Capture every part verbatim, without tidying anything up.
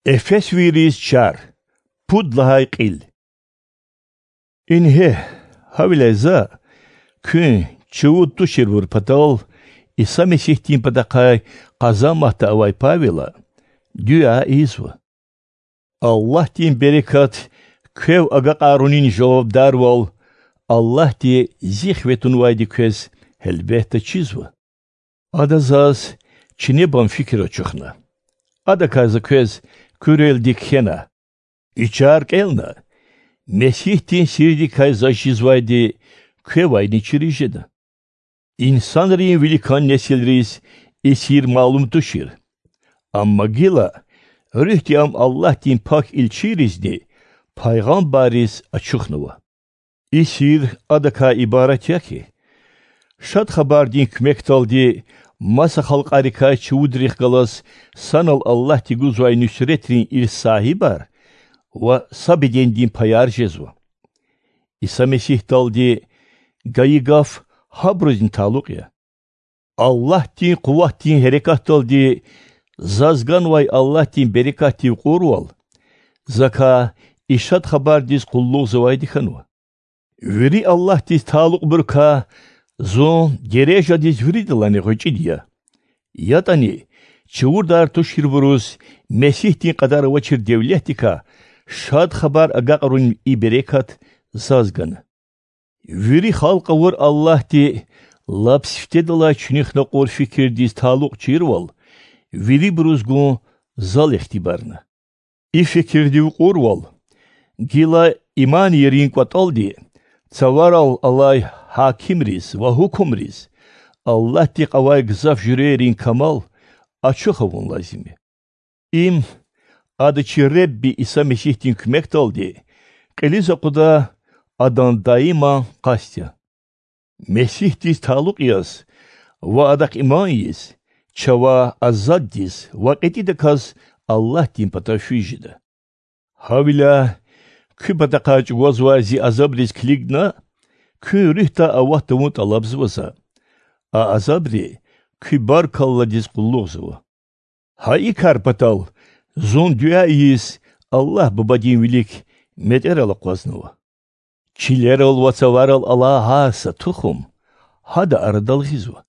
Эфесвийриз чар. Пуд лагьай кьил. Ингье, гьавиляй за, куьн чувуд туширвал патал Иса Месигьдин патахъай къазанматда авай Павела, дуьа ийизва. Аллагьдин берекат квев агакьарунин жавабдарвал Аллагьди Зи хиве тунвайди квез гьелбетда чизва. Ада заз чинебан фикир ачухна. Адакай за квез куьрелди кхьена. И чар кӀелна, Месигьдин сирдикай заз чизвайди квевайни чириз жеда. Инсанрин виликан несилриз и сир малум тушир. Амма гила Руьгьди ам Аллагьдин пак илчийризни пайгъамбарриз ачухнава. И сир адакай ибарат я хьи, Шад Хабардин куьмекдалди маса халкьарикай чувудрихъ галаз санал Аллагьди гузвай нуьсретрин ирс сагьибар ва са бедендин паяр жезва. Иса Месигьдалди гайи гаф гьабурузни талукь я. Аллагьдин къуватдин гьерекатдалди заз ганвай Аллагьдин берекатдив кьурвал, закай и Шад Хабардиз къуллугъзавайди хьанва. Вири Аллагьдиз талукьбурукай зун дережадиз виридалайни гъвечӀиди я. ЯтӀани чувудар туширбуруз Месигьдин кьадар авачир девлетдикай Шад Хабар агакьарунин и берекат заз гана. Вири халкь авур Аллагьди лап сифтедалай чуьнуьхна кьур фикирдиз талукь чирвал вирибуруз гун зал ихтибарна. И фикирдив кьурвал, гила иманийрин кӀватӀалди цаварал алай гьакимриз ва гьукумриз, Аллагьдихъ авай гзаф жуьрейрин камал ачух авун лазим я. Им Ада чи Ребби Иса Месигьдин куьмекдалди кьилиз акъудай Адан даиман къаст я. Месигьдиз талукь яз ва Адахъ иман ийиз, чавай азаддиз ва кьетӀидаказ Аллагьдин патав физ жеда. Гьавиляй куь патахъай чӀугвазвай зи азабриз килигна, куьн Руьгьдай ават тавун тӀалабзава за. А азабри куь баркалладиз къуллугъзава. Гьа и кар патал зун дуьа ийиз Аллагь Бубадин вилик метӀерал акъвазнава. Чилерал ва цаварал алай гьар са тухум Гьадан арадал гъизва.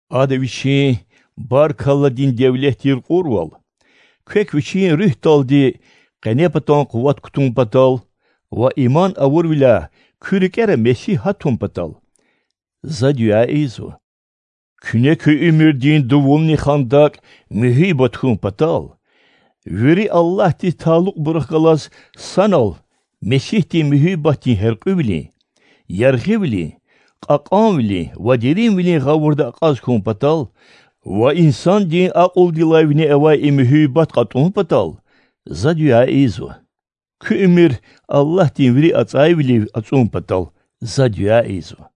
Ада Вичин баркалладин девлет тир кьурвал, квек Вичин Руьгьдалди къенепатан къуват кутун патал ва иман авурвиляй куь рикӀера Месигь гьатун патал за дуьа ийизва. Куьне куь уьмуьрдин дувулни хандакӀ муьгьуьббат хьун патал, вири Аллагьдиз талукьбурухъ галаз санал Месигьдин муьгьуьббатдин гьяркьуьвилин, яргъивилин, кьакьанвилин ва деринвилин гъавурда акьаз хьун патал ва инсандин акьулдилай вине авай и муьгьуьббат кьатӀун патал за дуьа ийизва. Куь уьмуьр Аллагьдин вири ацӀайвилив ацӀун патал за дуьа ийизва.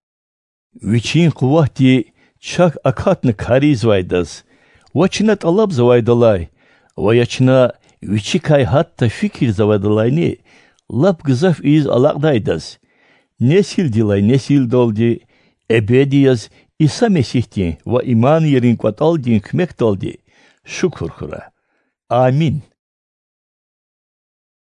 Вичин къуватди чак акатна кар ийизвайдаз ва чна тӀалабзавайдалай ва я чна Вичикай гьатта фикирзавайдалайни лап гзаф ийиз алакьдайдаз, несилдилай несилдалди эбеди яз Иса Месигьдин ва иманийрин кӀватӀалдин куьмекдалди шукур хьурай. Амин.